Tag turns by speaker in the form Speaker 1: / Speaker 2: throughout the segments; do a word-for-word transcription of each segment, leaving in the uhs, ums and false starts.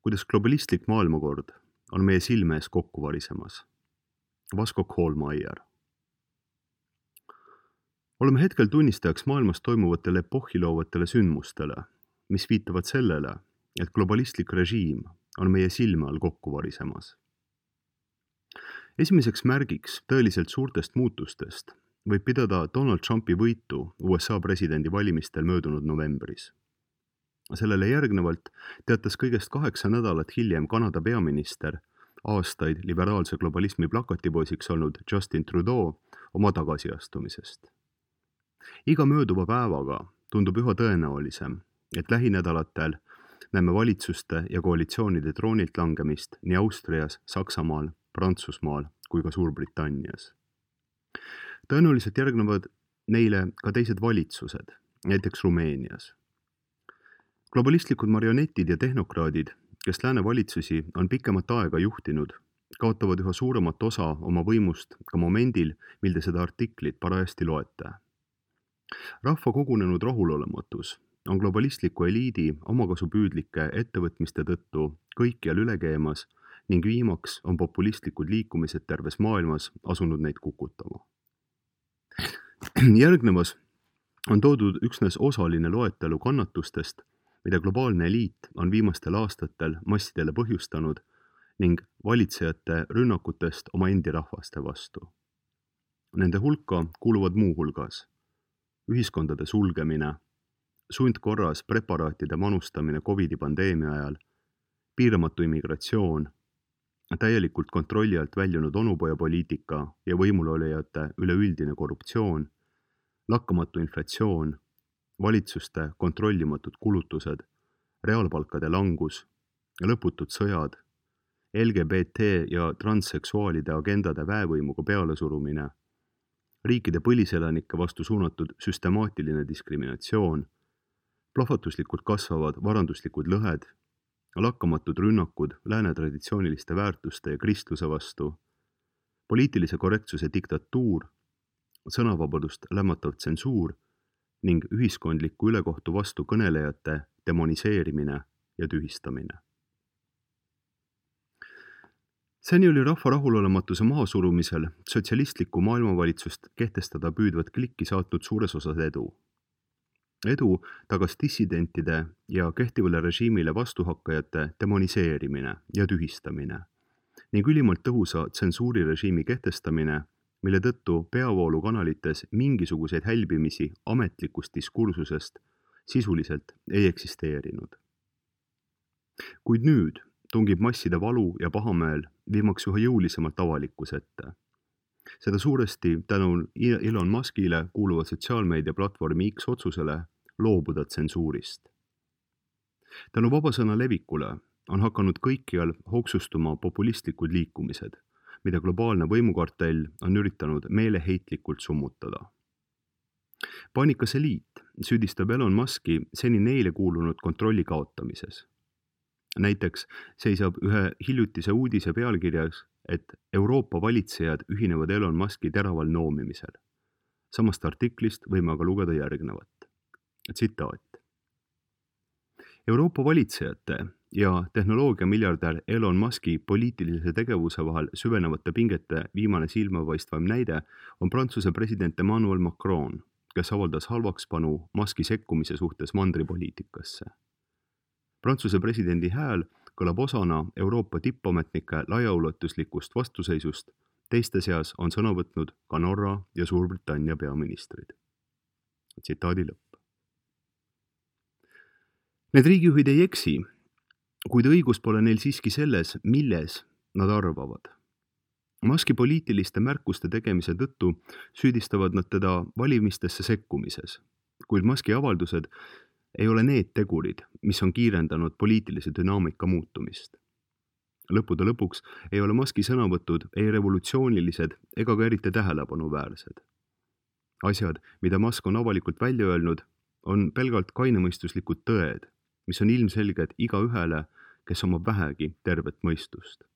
Speaker 1: kuidas globalistlik maailmakord on meie silme ees kokku varisemas. Vasko Koolmeier. Oleme hetkel tunnistajaks maailmas toimuvatele epohhiloovatele sündmustele, mis viitavad sellele, et globalistlik režiim on meie silme all kokku varisemas. Esimeseks märgiks tõeliselt suurtest muutustest võib pidada Donald Trumpi võitu U S A presidendi valimistel möödunud novembris. Sellele järgnevalt teatas kõigest kaheksa nädalat hiljem Kanada peaminister, aastaid liberaalse globalismi plakatipoisiks olnud Justin Trudeau oma tagasiastumisest. Iga mööduva päevaga tundub üha tõenäolisem, et lähinädalatel näeme valitsuste ja koalitsioonide troonilt langemist nii Austrias, Saksamaal, Prantsusmaal kui ka Suurbritannias. Tõenäoliselt järgnevad neile ka teised valitsused, näiteks Rumeenias. Globalistlikud marionetid ja tehnokraadid, kes lääne valitsusi on pikemat aega juhtinud, kaotavad üha suuremat osa oma võimust ka momendil, mil te seda artiklit parajasti loete. Rahva kogunenud rahulolematus on globalistliku eliidi omakasupüüdlike ettevõtmiste tõttu kõikjal üle keemas ning viimaks on populistlikud liikumised terves maailmas asunud neid kukutama. Järgnevas on toodud üksnes osaline loetelu kannatustest, mida globaalne eliit on viimastel aastatel massidele põhjustanud ning valitsejate rünnakutest oma endi rahvaste vastu. Nende hulka kuuluvad muu hulgas ühiskondade sulgemine, sundkorras preparaatide manustamine Covidi pandeemia ajal, piiramatu immigratsioon, täielikult kontrolli alt väljunud onupojapoliitika ja võimulolijate üleüldine korruptsioon, lakkamatu inflatsioon, valitsuste kontrollimatud kulutused, reaalpalkade langus, lõputud sõjad, L G B T ja transseksuaalide agendade väevõimuga pealesurumine, riikide põliselanike vastu suunatud süstemaatiline diskriminatsioon, plahvatuslikult kasvavad varanduslikud lõhed, lakkamatud rünnakud lääne traditsiooniliste väärtuste ja kristluse vastu, poliitilise korrektsuse diktatuur, sõnavabadust lämmatav tsensuur ning ühiskondliku ülekohtu vastu kõnelejate demoniseerimine ja tühistamine. Seni oli rahva rahulolematuse mahasurumisel sotsialistlikku maailmavalitsust kehtestada püüdvat klikki saatnud suures osas edu. Edu tagas dissidentide ja kehtivale režiimile vastuhakkajate demoniseerimine ja tühistamine ning ülimalt tõhusa tsensuurirežiimi kehtestamine, mille tõttu peavoolukanalites mingisuguseid hälbimisi ametlikust diskursusest sisuliselt ei eksisteerinud. Kuid nüüd tungib masside valu ja pahameel viimaks üha jõulisemalt avalikkuse ette. Seda suuresti tänu Elon Muskile kuuluva sotsiaalmeedia platvormi X otsusele loobuda tsensuurist. Tänu vabasõna levikule on hakanud kõikjal hoogsustuma populistlikud liikumised, mida globaalne võimukartell on üritanud meeleheitlikult summutada. Panikas eliit süüdistab Elon Muski seni neile kuulunud kontrolli kaotamises. Näiteks seisab ühe hiljutise uudise pealkirjas, et Euroopa valitsejad ühinevad Elon Muski teraval noomimisel. Samast artiklist võime aga lugeda järgnevat. Tsitaat. Euroopa valitsejate ja tehnoloogiamiljardär Elon Muski poliitilise tegevuse vahel süvenevate pingete viimane silmapaistvam näide on Prantsuse president Emmanuel Macron, kes avaldas halvakspanu Muski sekkumise suhtes mandripoliitikasse. Prantsuse presidendi hääl kõlab osana Euroopa tippametnike laiaulatuslikust vastuseisust, teiste seas on sõna võtnud ka Norra ja Suurbritannia peaministrid. Tsitaadi lõpp. Need riigijuhid ei eksi, kuid õigus pole neil siiski selles, milles nad arvavad. Muski poliitiliste märkuste tegemise tõttu süüdistavad nad teda valimistesse sekkumises, kuid Muski avaldused ei ole need tegurid, mis on kiirendanud poliitilise dünaamika muutumist. Lõppude lõpuks ei ole Muski sõnavõtud ei revolutsioonilised ega ka eriti tähelepanuväärsed. Asjad, mida Musk on avalikult välja öelnud, on pelgalt kainemõistuslikud tõed, mis on ilmselged iga ühele, kes omab vähegi tervet mõistust.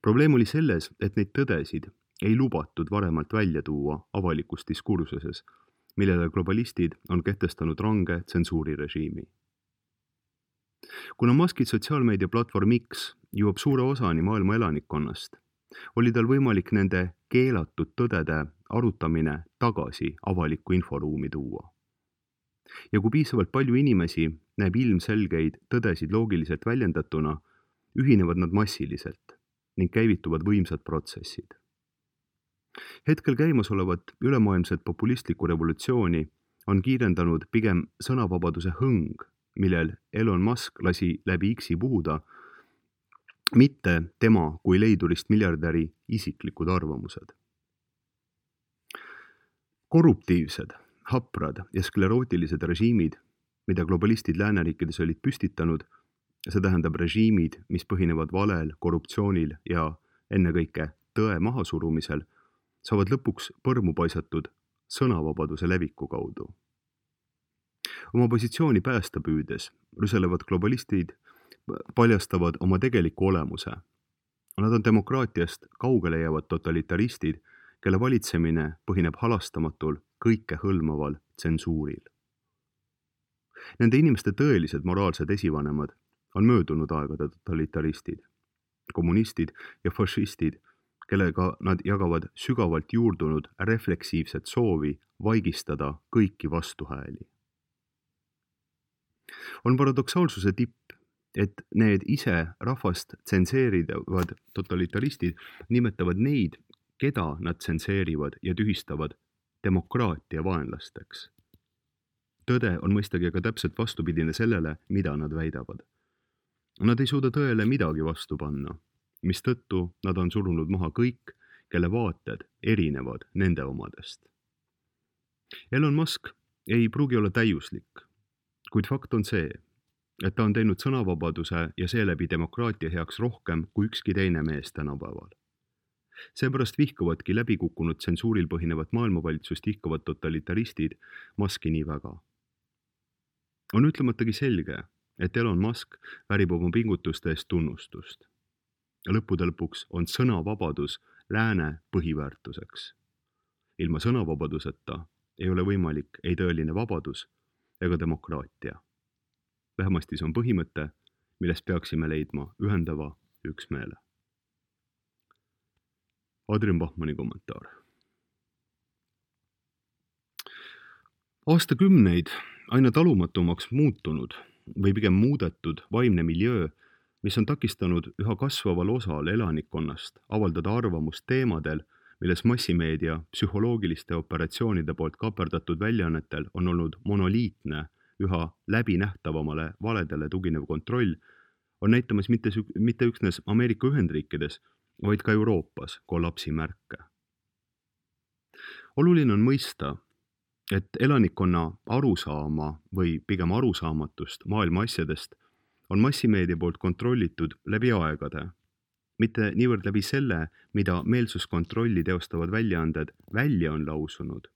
Speaker 1: Probleem oli selles, et neid tõdesid ei lubatud varemalt välja tuua avalikus diskursuses, millele globalistid on kehtestanud range tsensuurirežiimi. Kuna Muski sotsiaalmeedia platvorm X jõuab suure osani maailma elanikkonnast, oli tal võimalik nende keelatud tõdede arutamine tagasi avalikku inforuumi tuua. Ja kui piisavalt palju inimesi näeb ilmselgeid tõdesid loogiliselt väljendatuna, ühinevad nad massiliselt ning käivituvad võimsad protsessid. Hetkel käimasolevat ülemaailmset populistlikku revolutsiooni on kiirendanud pigem sõnavabaduse hõng, millel Elon Musk lasi läbi X-i puhuda, mitte tema kui leidurist miljardäri isiklikud arvamused. Korruptiivsed, haprad ja sklerootilised režiimid, mida globalistid lääneriikides olid püstitanud, see tähendab režiimid, mis põhinevad valel, korruptsioonil ja ennekõike tõe mahasurumisel, saavad lõpuks põrmu paisatud sõnavabaduse leviku kaudu. Oma positsiooni päästa püüdes rüselevad globalistid paljastavad oma tegeliku olemuse. Nad on demokraatiast kaugele jäävad totalitaristid, kelle valitsemine põhineb halastamatul kõike hõlmaval tsensuuril. Nende inimeste tõelised moraalsed esivanemad on möödunud aegade totalitaristid, kommunistid ja fašistid, kellega nad jagavad sügavalt juurdunud refleksiivset soovi vaigistada kõiki vastuhääli. On paradoksaalsuse tipp, et need ise rahvast tsenseerivad totalitaristid nimetavad neid, keda nad tsenseerivad ja tühistavad demokraatia vaenlasteks. Tõde on mõistagi aga täpselt vastupidine sellele, mida nad väidavad. Nad ei suuda tõele midagi vastu panna, mistõttu nad on surunud maha kõik, kelle vaated erinevad nende omadest. Elon Musk ei pruugi olla täiuslik, kuid fakt on see, et ta on teinud sõnavabaduse ja seeläbi demokraatia heaks rohkem kui ükski teine mees tänapäeval. Seepärast vihkavadki läbikukkunud tsensuuril põhinevat maailmavalitsust ihkavad totalitaristid Muski nii väga. On ütlematagi selge, et Elon Musk väärib oma pingutuste eest tunnustust. Lõppude lõpuks on sõnavabadus lääne põhiväärtuseks. Ilma sõnavabaduseta ei ole võimalik ei tõeline vabadus ega demokraatia. Vähemasti see on põhimõte, millest peaksime leidma ühendava üksmeele. Adrian Bachmanni kommentaar. Aastakümneid aina talumatumaks muutunud või pigem muudetud vaimne miljöö, mis on takistanud üha kasvaval osal elanikkonnast avaldada arvamust teemadel, milles massimeedia psühholoogiliste operatsioonide poolt kaperdatud väljaannetel on olnud monoliitne, üha läbinähtavamale valedele tuginev kontroll, on näitamas mitte, mitte üksnes Ameerika Ühendriikides, vaid ka Euroopas kollapsi märke. Oluline on mõista, et elanikkonna arusaama või pigem arusaamatust maailma asjadest on massimeedia poolt kontrollitud läbi aegade, mitte niivõrd läbi selle, mida meelsuskontrolli teostavad väljaanded välja on lausunud,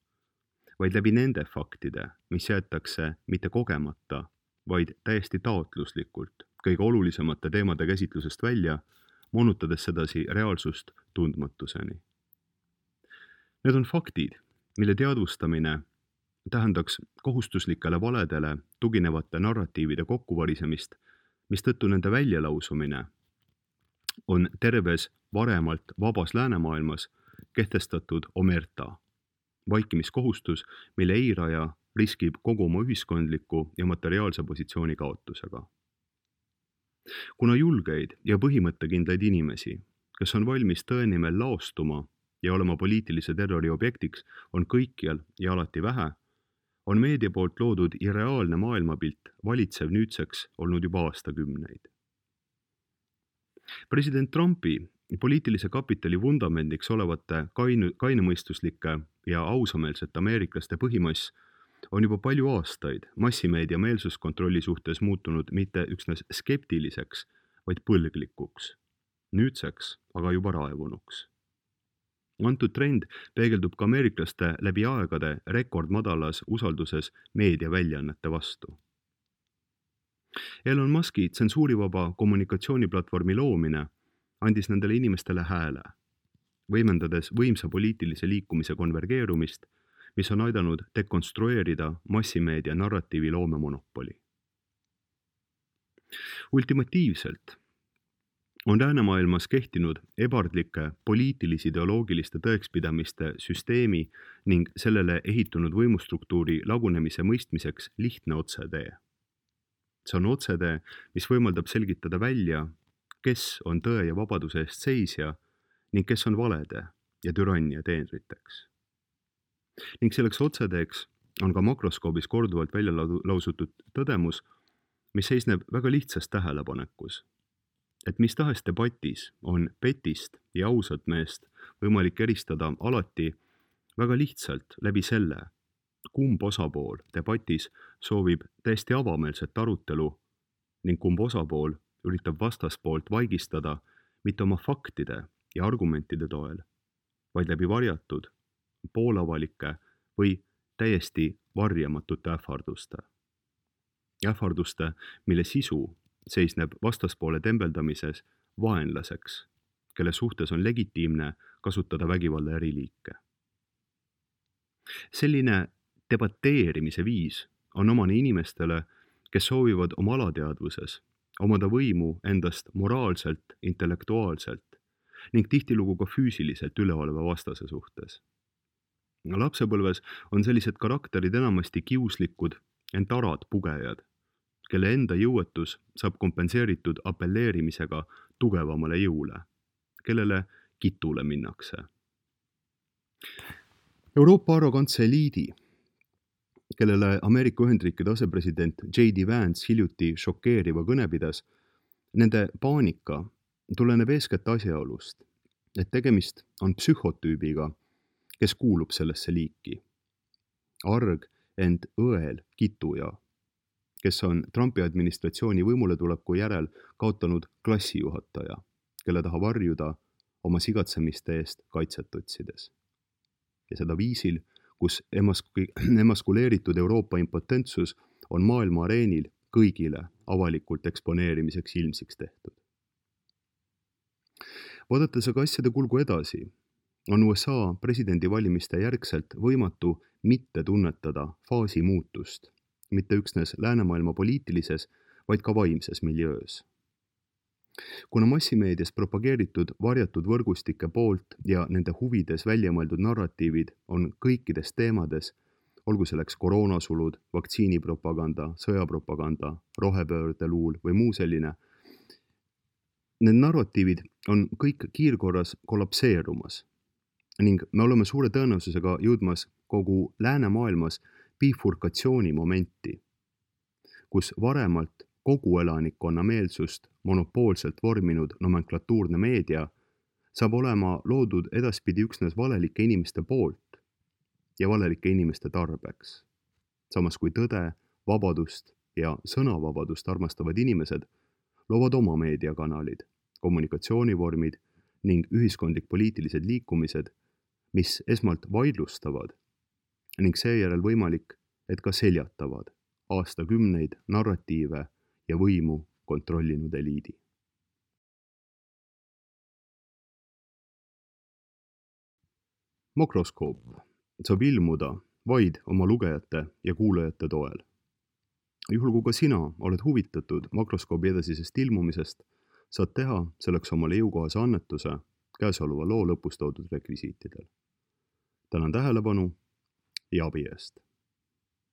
Speaker 1: vaid läbi nende faktide, mis jäetakse mitte kogemata, vaid täiesti taotluslikult kõige olulisemate teemade käsitlusest välja, moonutades sedasi reaalsust tundmatuseni. Need on faktid, mille teadvustamine tähendaks kohustuslikele valedele tuginevate narratiivide kokkuvarisemist, mistõttu nende väljalausumine on terves varemalt vabas läänemaailmas kehtestatud omerta, vaikimiskohustus, mille eiraja riskib kogu oma ühiskondliku ja materiaalse positsiooni kaotusega. Kuna julgeid ja põhimõttekindlaid inimesi, kes on valmis tõe nimel laostuma ja olema poliitilise terrori objektiks, on kõikjal ja alati vähe, on meedia poolt loodud irreaalne maailmapilt valitsev nüüdseks olnud juba aastakümneid. President Trumpi poliitilise kapitali vundamendiks olevate kainu, kainemõistuslike ja ausameelsete ameeriklaste põhimass on juba palju aastaid massimeedia meelsuskontrolli suhtes muutunud mitte üksnes skeptiliseks, vaid põlglikuks, nüüdseks aga juba raevunuks. Antud trend peegeldub ka ameeriklaste läbi aegade rekordmadalas usalduses meediaväljaannete vastu. Elon Muski tsensuurivaba kommunikatsiooniplatvormi loomine andis nendele inimestele hääle, võimendades võimsa poliitilise liikumise konvergeerumist, mis on aidanud dekonstrueerida massimeedia narratiivi loomemonopoli. Ultimatiivselt on läänemaailmas kehtinud ebardlike poliitilis-ideoloogiliste tõekspidamiste süsteemi ning sellele ehitunud võimustruktuuri lagunemise mõistmiseks lihtne otsetee. See on otsetee, mis võimaldab selgitada välja, kes on tõe ja vabaduse eest seisja ning kes on valede ja türannia teenriteks. Ning selleks otseteeks on ka makroskoobis korduvalt välja lausutud tõdemus, mis seisneb väga lihtsas tähelepanekus, et mis tahes debatis on petist ja ausat meest võimalik eristada alati väga lihtsalt läbi selle, kumb osapool debatis soovib täiesti avameelset arutelu ning kumb osapool üritab vastaspoolt vaigistada mitte oma faktide ja argumentide toel, vaid läbi varjatud, poolavalike või täiesti varjamatute ähvarduste. Ähvarduste, mille sisu seisneb vastaspoole tembeldamises vaenlaseks, kelle suhtes on legitiimne kasutada vägivalla eriliike. Selline debateerimise viis on omane inimestele, kes soovivad oma alateadvuses omada võimu endast moraalselt, intellektuaalselt ning tihtilugu ka füüsiliselt üleoleva vastase suhtes. Lapsepõlves on sellised karakterid enamasti kiuslikud, ent arad pugejad, kelle enda jõuetus saab kompenseeritud apelleerimisega tugevamale jõule, kellele kitule minnakse. Euroopa arrogantse eliidi, kellele Ameerika Ühendriikide asepresident J D Vance hiljuti šokeeriva kõne pidas, nende paanika tuleneb eeskätt asjaolust, et tegemist on psühhotüübiga, kes kuulub sellesse liiki. Arg, ent õel kituja, kes on Trumpi administratsiooni võimuletuleku järel kaotanud klassijuhataja, kelle taha varjuda oma sigatsemiste eest kaitset otsides. Ja seda viisil, kus emask- emaskuleeritud Euroopa impotentsus on maailma areenil kõigile avalikult eksponeerimiseks ilmsiks tehtud. Vaadates aga asjade kulgu edasi, on U S A presidendivalimiste järgselt võimatu mitte tunnetada faasi muutust, mitte üksnes läänemaailma poliitilises, vaid ka vaimses miljöös. Kuna massimeedias propageeritud varjatud võrgustike poolt ja nende huvides väljamõeldud narratiivid on kõikides teemades, olgu selleks koroonasulud, vaktsiinipropaganda, sõjapropaganda, rohepöördeluul või muu selline, need narratiivid on kõik kiirkorras kollapseerumas ning me oleme suure tõenäosusega jõudmas kogu läänemaailmas bifurkatsiooni momenti, kus varemalt kogu elanikkonna meelsust monopoolselt vorminud nomenklatuurne meedia saab olema loodud edaspidi üksnes valelike inimeste poolt ja valelike inimeste tarbeks. Samas kui tõde, vabadust ja sõnavabadust armastavad inimesed loovad oma meediakanalid, kommunikatsioonivormid ning ühiskondlik-poliitilised liikumised, mis esmalt vaidlustavad ning seejärel võimalik, et ka seljatavad aastakümneid narratiive ja võimu kontrollinud eliidi. Makroskoop saab ilmuda vaid oma lugejate ja kuulajate toel. Juhul kui ka sina oled huvitatud makroskoobi edasisest ilmumisest, saad teha selleks omale jõukohase annetuse käesoleva loo lõpus toodud rekvisiitidel. Tänan tähelepanu ja abi eest!